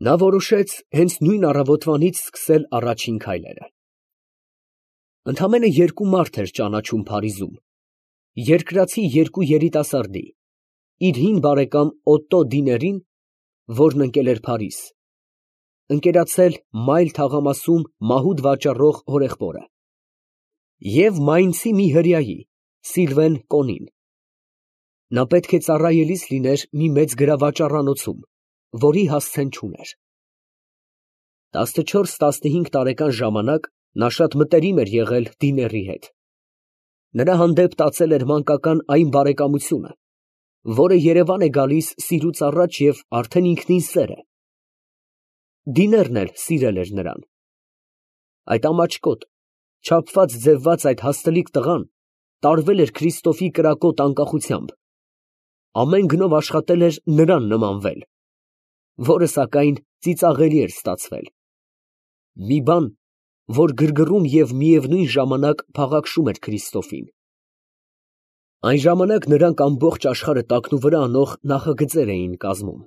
Նա որոշեց հենց նույն առավոտվանից սկսել առաջին քայլերը։ Ընդամենը երկու մարդ էր ճանաչում Փարիզում, երկրացի երկու երիտասարդի, իր հին բարեկամ Օտտո Դիներին, որն ընկել էր Փարիզ, ընկերացել Մայլ թաղամասում մահուդ վաճառող հորեղբորը, և Մայնցի մի հրեայի, Սիլվեն Կոնին։ Նա պետք է ծառայելիս լիներ մի մեծ գրավաճառանոցում, որի հասցեն չուներ։ 14-15 տարեկան ժամանակ նա շատ մտերիմ էր եղել Դիների հետ։ Նրա հանդեպ տածել էր մանկական այն բարեկամությունը, որը երևան է գալիս սիրուց առաջ և արդեն ինքնին սեր է։ Դիներն էլ սիրել էր նրան։ Այդ ամաչկոտ, չափված ձևված այդ հաստլիկ տղան տարվել էր Քրիստոֆի կրակոտ անկախությամբ, ամեն գնով աշխատել էր նրան նմանվել, որը սակայն ծիծաղելի էր ստացվել, մի բան, որ գրգռում և միևնույն ժամանակ փաղաքշում էր Քրիստոֆին։ Այն ժամանակ նրանք ամբողջ աշխարհը տակնուվրա անող նախագծեր էին կազմում։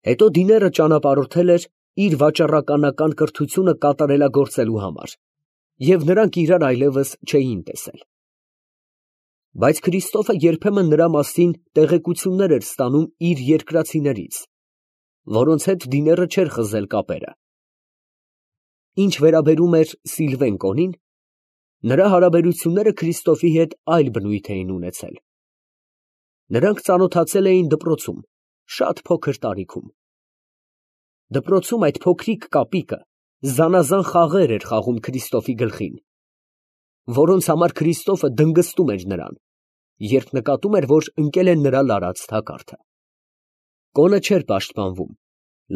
Հետո Դիները ճանապարհորդել էր իր վաճառականական կրթությունը կատարելագործելու համար, և նրանք իրար այլևս չէին տեսել։ Բայց Քրիստոֆը երբեմն նրա մասին տեղեկություններ էր ստանում իր երկրացիներից, որոնց հետ Դիները չէր խզել կապերը։ Ինչ վերաբերում էր Սիլվեն Կոնին, նրա հարաբերությունները Քրիստոֆի հետ այլ բնույթ էին ունեցել։ Նրանք ծանոթացել էին դպրոցում, շատ փոքր տարիքում։ Դպրոցում այդ փոքրիկ կապիկը զանազան խաղեր էր խաղում Քրիստոֆի գլխին, որոնց համար Քրիստոֆը դնգստում էր նրան, երբ նկատում էր, որ ընկել է նրա լարած թակարդը։ Կոնը չէր պաշտպանվում,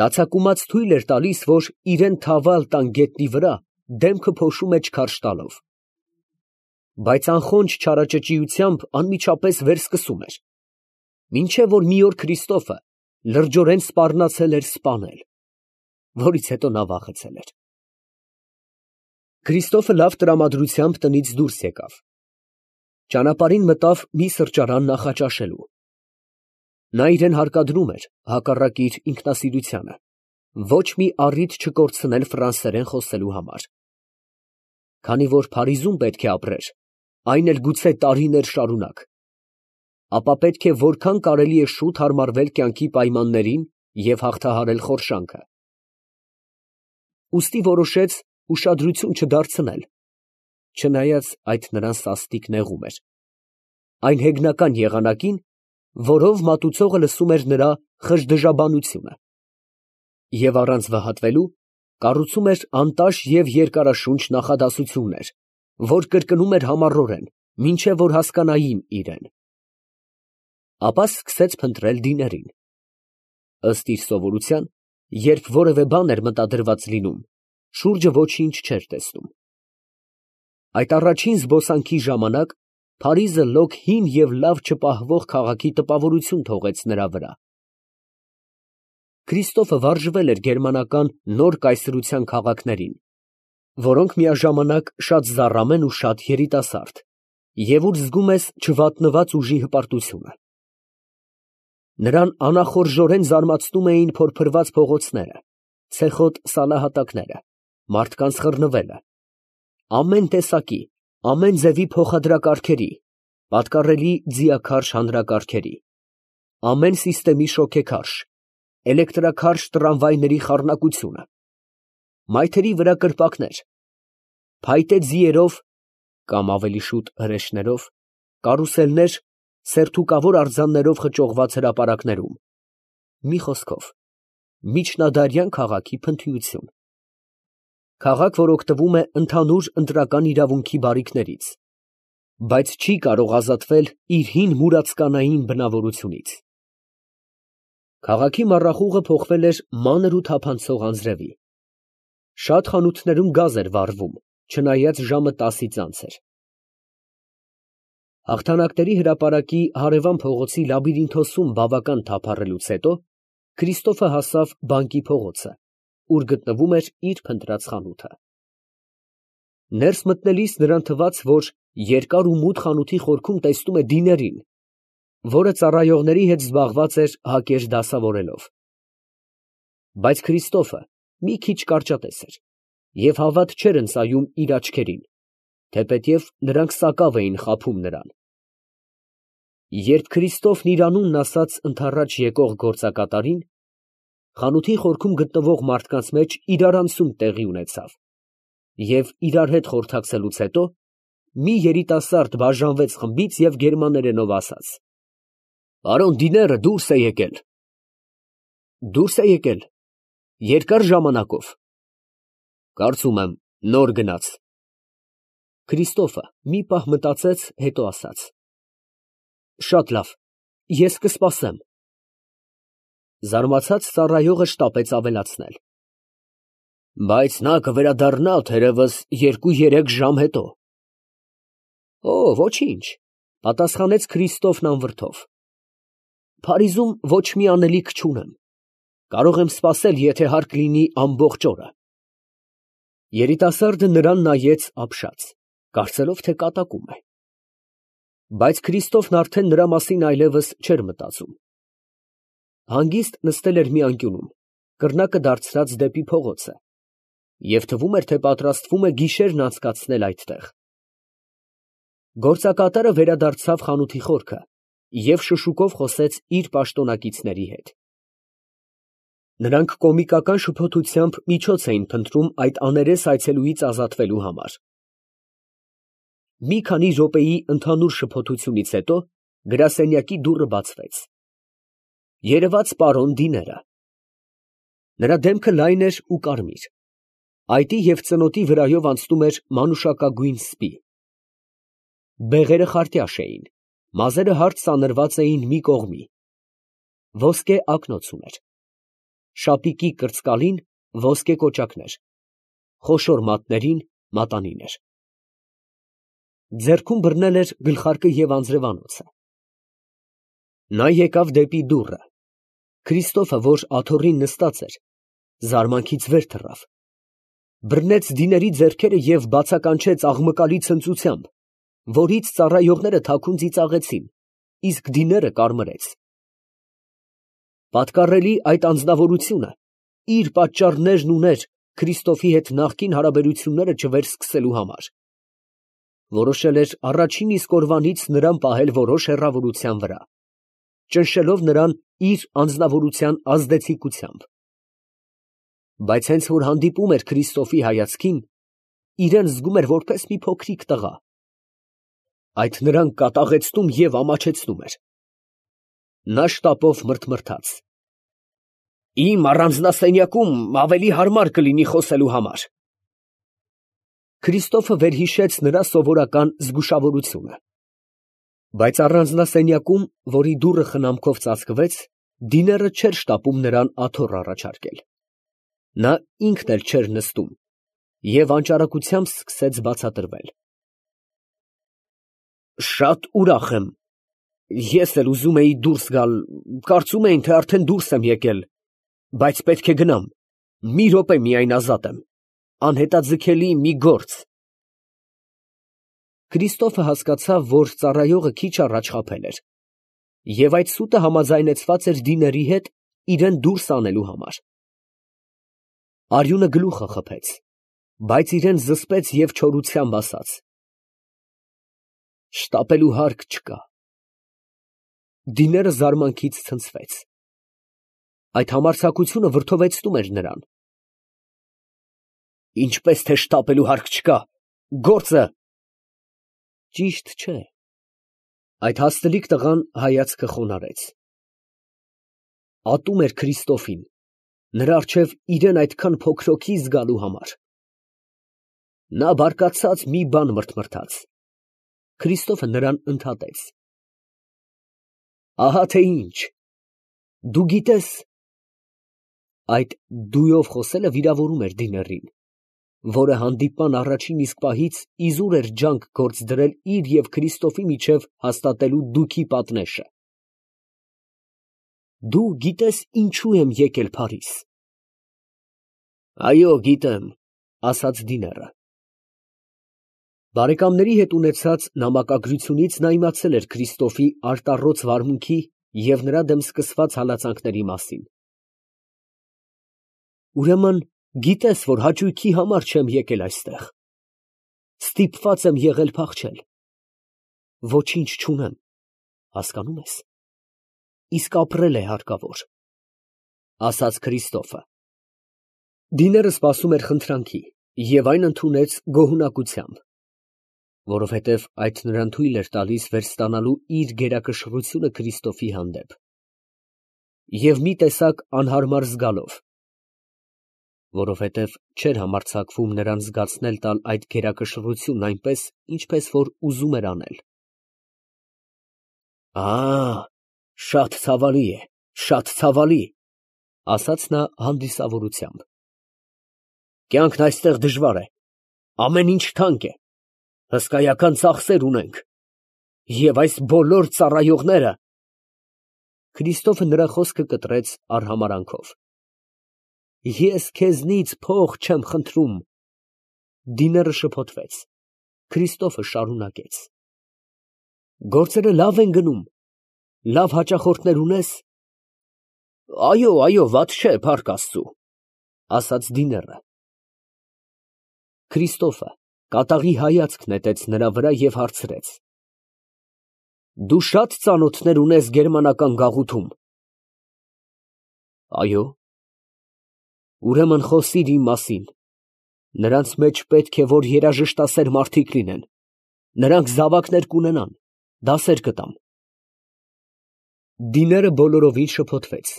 լացակումած թույլ էր տալիս, որ իրան թավալ տան գետնի վրա, դեմքը փոշու մեջ քարշ տալով։ Բայց անխոնջ չարաճճիությամբ անմիջապես վերսկսում էր, մինչև որ մի օր Քրիստոֆը լրջորեն սպառնացել էր սպանել, որից հետո նա վախեցել էր։ Քրիստոֆը լավ տրամադրությամբ տնից դուրս եկավ։ Ճանապարհին մտավ մի սրճարան նախաճաշելու։ Նա իրեն հարկադրում էր, հակառակ իր ինքնասիրությանը, ոչ մի առիթ չկորցնել ֆրանսերեն խոսելու համար։ Քանի որ Փարիզում պետք է ապրեր, այն էլ գուցե տարիներ շարունակ, ապա պետք է որքան կարելի է շուտ հարմարվել կյանքի պայմաններին և հաղթահարել խորշանքը։ Ուստի որոշեց ուշադրություն չդարձնել, չնայած այդ նրան սաստիկ նեղում էր, այն հեգնական եղանակին, որով մատուցողը լսում էր նրա խժդժաբանությունը, և առանց վհատվելու կառուցում էր անտաշ և երկարաշունչ նախադասություններ, որ կրկնում էր համառորեն, մինչև որ հասկանային իրեն։ Ապա սկսեց փնտրել Դիներին։ Ըստ իր սովորության, երբ որևէ բան էր մտադրված լինում, շուրջը ոչինչ չէր տեսնում։ Այդ առաջին զբոսանքի ժամանակ Փարիզը լոկ հին և լավ չպահվող քաղաքի տպավորություն թողեց նրա վրա։ Քրիստոֆը վարժվել էր գերմանական նոր կայսրության քաղաքներին, որոնք միաժամանակ շատ զառամ են ու շատ երիտասարդ, և ուր զգում ես չվատնված ուժի հպարտությունը։ Նրան անախորժորեն զարմացնում էին փորփրված փողոցները, ցեխոտ սալահատակները, մարդկանց խռնվելը, ամեն տեսակի, ամեն ձևի փոխադրակարգերի, պատկառելի ձիաքարշ հանրակարգերի, ամեն սիստեմի շոգեքարշ, էլեկտրաքարշ տրամվայների խառնակությունը, մայթերի վրա կրպակներ, փայտե ձիերով կամ ավելի շուտ հրեշներով, կարուսելներ, սերթուկավոր արձաններով խճողված հրապարակներում, մի խոսքով, միջնադարյան քաղաքի փնթիություն։ Քաղաք, որ օգտվում է ընդհանուր ընտրական իրավունքի բարիքներից, բայց չի կարող ազատվել իր հին մուրացկանային բնավորությունից։ Քաղաքի մառախուղը փոխվել էր մանր ու թափանցող անձրևի։ Շատ խանութներում գազ էր վառվում, չնայած ժամը 10-ից անց էր։ Հաղթանակների հրապարակի հարևան փողոցի լաբիրինթոսում բավական թափառելուց հետո Քրիստոֆը հասավ բանկի փողոցը, ուր գտնվում էր իր փնտրած խանութը։ Ներս մտնելիս նրան թվաց, որ երկար ու մութ խանութի խորքում տեսնում է Դիներին, որը ծառայողների հետ զբաղված էր հակեր դասավորելով։ Բայց Քրիստոֆը մի քիչ կարճատես էր և հավատ չէր ընծայում իր աչքերին, թեպետև նրանք սակավ էին խաբում նրան։ Երբ Քրիստոֆն իր անունն ասաց ընդառաջ եկող գործակատարին, խանութի խորքում գտնվող մարդկանց մեջ իրարանցում տեղի ունեցավ, և իրար հետ խորհրդակցելուց հետո մի երիտասարդ բաժանվեց խմբից և գերմաներենով ասաց. «Պարոն Դիները դուրս է եկել»։ Դուրս է եկել։ Երկար ժամանակով։ Կարծում եմ, նոր գնաց։ Քրիստոֆը մի պահ մտածեց, հետո ասաց. Շատ լավ, ես կսպասեմ։ Զարմացած ծառայողը շտապեց ավելացնել. Բայց նա կվերադառնա թերևս 2-3 ժամ հետո։ Օ, ոչինչ, պատասխանեց Քրիստոֆն անվրդով։ Փարիզում ոչ մի անելիք չունեմ։ Կարող եմ սպասել, եթե հարկ լինի ամբողջ օրը։ Երիտասարդը նրան նայեց ապշած, կարծելով, թե կատակում է։ Բայց Քրիստոֆն արդեն նրա մասին այլևս չէր մտածում։ Հանգիստ նստել էր մի անկյունում, կռնակը դարձրած դեպի փողոցը, և թվում էր, թե պատրաստվում է գիշերն անցկացնել այդտեղ։ Գործակատարը վերադարձավ խանութի խորքը և շշուկով խոսեց իր պաշտոնակիցների հետ։ Նրանք կոմիկական շփոթությամբ միջոց էին փնտրում այդ աներես այցելուից ազատվելու համար։ Մի քանի րոպեի ընդհանուր շփոթությունից հետո գրասենյակի դուռը բացվեց։ Երևաց պարոն Դիները։ Նրա դեմքը լայն էր ու կարմիր, այտի և ծնոտի վրայով անցնում էր մանուշակագույն սպի։ Բեղերը խարտյաշ էին, մազերը հարթ սանրված էին մի կողմի, ոսկե ակնոց ուներ, շապիկի կրծկալին ոսկե կոճակներ, խոշոր մատներին մատանիներ։ Ձեռքում բռնել էր գլխարկը և անձրևանոցը։ Նա եկավ դեպի դուռը։ Քրիստոֆը, որ աթոռին նստած էր, զարմանքից վեր թռավ, բռնեց Դիների ձեռքերը և բացականչեց աղմկալի ցնծությամբ, որից ծառայողները թաքուն ծիծաղեցին, իսկ Դիները կարմրեց։ Պատկառելի այդ անձնավորությունը իր պատճառներն ուներ Քրիստոֆի հետ նախկին հարաբերությունները չվերսկսելու համար։ Որոշել էր առաջին իսկ օրվանից նրան պահել որոշ հեռավորության վրա, ճնշելով նրան իր անձնավորության ազդեցիկությամբ։ Բայց հենց որ հանդիպում էր Քրիստոֆի հայացքին, իրեն զգում էր որպես մի փոքրիկ տղա։ Այդ նրան կատաղեցնում և ամաչեցնում էր։ Նա շտապով մռթմռթաց. Իմ առանձնասենյակում ավելի հարմար կլինի խոսելու համար։ Քրիստոֆը վերհիշեց նրա սովորական զգուշավորությունը։ Բայց առանձնասենյակում, որի դուռը խնամքով ծածկվեց, Դիները չէր շտապում նրան աթոռ առաջարկել։ Նա ինքն էլ չէր նստում և անճարակությամբ սկսեց բացատրվել. Շատ ուրախ եմ։ Ես էլ ուզում էի դուրս գալ, կարծում էին, թե արդեն դուրս եմ եկել, բայց պետք է գնամ, մի րոպե միայն ազատ եմ, անհետաձգելի մի գործ։ Քրիստոֆը հասկացավ, որ ծառայողը քիչ առաջ խաբել էր, և այդ սուտը համաձայնեցված էր Դիների հետ իրան դուրս անելու համար։ Արյունը գլուխը խփեց, բայց իրան զսպեց և չորությամբ ասաց. Շտապելու հարկ չկա։ Դիները զարմանքից ցնցվեց։ Այդ համարձակությունը վրդովեցնում էր նրան։ Ինչպես թե շտապելու հարկ չկա, գործը… Ճիշտ չէ։ Այդ հաստլիկ տղան հայացքը խոնարհեց։ Ատում էր Քրիստոֆին, նրա առջև իրան այդքան փոքրոքի զգալու համար։ Նա բարկացած մի բան մռթմռթաց։ Քրիստոֆը նրան ընդհատեց. Ահա թե ինչ, դու գիտես… Այդ «դու»-ով խոսելը վիրավորում էր Դիներին, որը հանդիպման առաջին իսկ պահից իզուր էր ջանք գործ դրել իր և Քրիստոֆի միջև հաստատելու դուքի պատնեշը։ Դու գիտես ինչու եմ եկել Փարիզ։ Այո, գիտեմ, ասաց Դիները։ Բարեկամների հետ ունեցած նամակագրությունից նա իմացել էր Քրիստոֆի արտառոց վարմունքի և նրա դեմ սկսված հալածանքների մասին։ Ուրեմն գիտես, որ հաճույքի համար չեմ եկել այստեղ. ստիպված եմ եղել փախչել, ոչինչ չունեմ, հասկանում ես, իսկ ապրել է հարկավոր, ասաց Քրիստոֆը։ Դիները սպասում էր խնդրանքի և այն ընդունեց գոհունակությամբ, որովհետև այդ նրան թույլ էր տալիս վերստանալու իր գերակշռությունը Քրիստոֆի հանդեպ և մի տեսակ անհարմար զգալով, որովհետև չէր համարձակվում նրան զգացնել տալ այդ գերակշռությունն այնպես, ինչպես որ ուզում էր անել։ Շատ ցավալի է, շատ ցավալի, ասաց նա հանդիսավորությամբ։ Կյանքն այստեղ դժվար է, ամեն ինչ թանկ է, հսկայական ծախսեր ունենք, և այս բոլոր ծառայողները… Քրիստոֆը նրա խոսքը կտրեց արհամարանքով։ Ես քեզնից փող չեմ խնդրում։ Դիները շփոթվեց։ Քրիստոֆը շարունակեց. Գործերը լավ են գնում, լավ հաճախորդներ ունես։ Այո, վատ չէ, փառք Աստծու, ասաց դիները։ Քրիստոֆը կատաղի հայացք նետեց նրա վրա և հարցրեց. Դու շատ ծանոթներ ունես գերմանական գաղութում։ Այո։ Ուրեմն խոսիր իմ մասին. նրանց մեջ պետք է որ երաժշտասեր մարդիկ լինեն, նրանք զավակներ կունենան, դասեր կտամ։ Դիները բոլորովին շփոթվեց։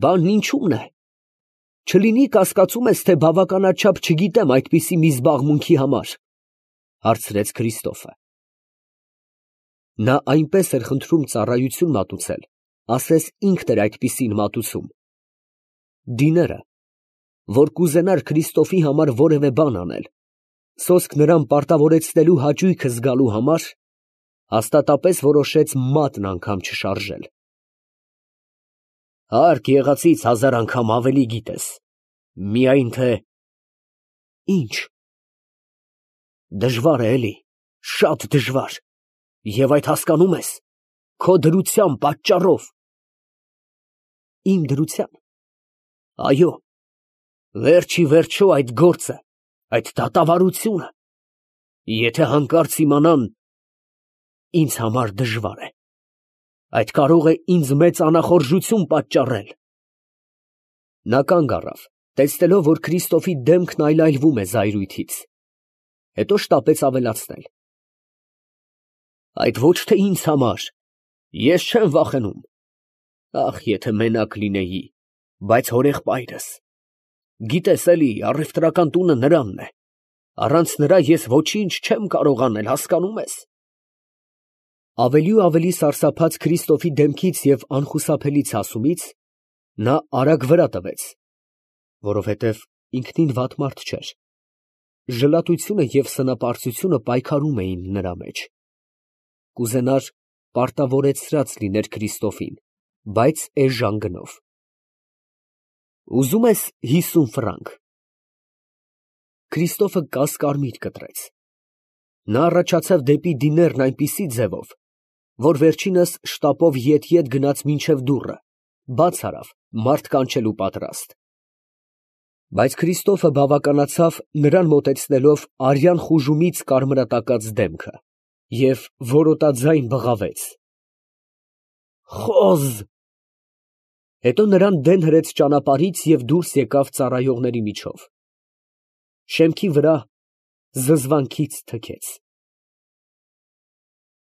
Բանն ինչու՞մն է։ Չլինի կասկածում ես, թե բավականաչափ չգիտեմ այդպիսի մի զբաղմունքի համար, հարցրեց Քրիստոֆը։ Նա այնպես էր խնդրում ծառայություն մատուցել, ասես ինքն էր այդպիսին մատուցում։ Դիները, որ կուզենար Քրիստոֆի համար որևէ բան անել, սոսկ նրան պարտավորեցնելու հաճույքը զգալու համար, հաստատապես որոշեց մատն անգամ չշարժել։ Հարկ եղածից 1000 անգամ ավելի գիտես, միայն թե… Ինչ։ Դժվար է, էլի, շատ դժվար, և այդ հասկանում ես, քո դրության պատճառով։ Իմ դրության… Այո, վերջիվերջո այդ գործը, այդ դատավարությունը, եթե հանկարծ իմանան, ինձ համար դժվար է, այդ կարող է ինձ մեծ անախորժություն պատճառել։ Նա կանգ առավ, տեսնելով, որ Քրիստոֆի դեմքն այլայլվում է զայրույթից, հետո շտապեց ավելացնել. Այդ ոչ թե ինձ համար, ես չեմ վախենում, ախ, եթե մենակ լինեի, բայց հորեղբայրս, գիտես էլի, առևտրական տունը նրանն է, առանց նրա ես ոչինչ չեմ կարող անել, հասկանում ես։ Ավելի ու ավելի սարսափած Քրիստոֆի դեմքից և անխուսափելի ցասումից, նա արագ վրա տվեց, որովհետև ինքնին վատ մարդ չէր, ժլատությունը և սնապարծությունը պայքարում էին նրա մեջ, կուզենար պարտավորեցրած լիներ Քրիստոֆին, բայց էժան գնով։ Ուզում ես 50 ֆրանկ։ Քրիստոֆը կասկարմիր կտրեց։ Նա առաջացավ դեպի դիներն այնպիսի ձևով, որ վերջինս շտապով ետ գնաց մինչև դուռը, բաց արավ, մարդ կանչելու պատրաստ։ Բայց Քրիստոֆը բավականացավ նրան մոտեցնելով արյան խուժումից կարմրատակած դեմքը և որոտաձայն բղավեց. Խոզ… Հետո նրան դեն հրեց ճանապարհից և դուրս եկավ ծառայողների միջով։ Շեմքի վրա զզվանքից թքեց։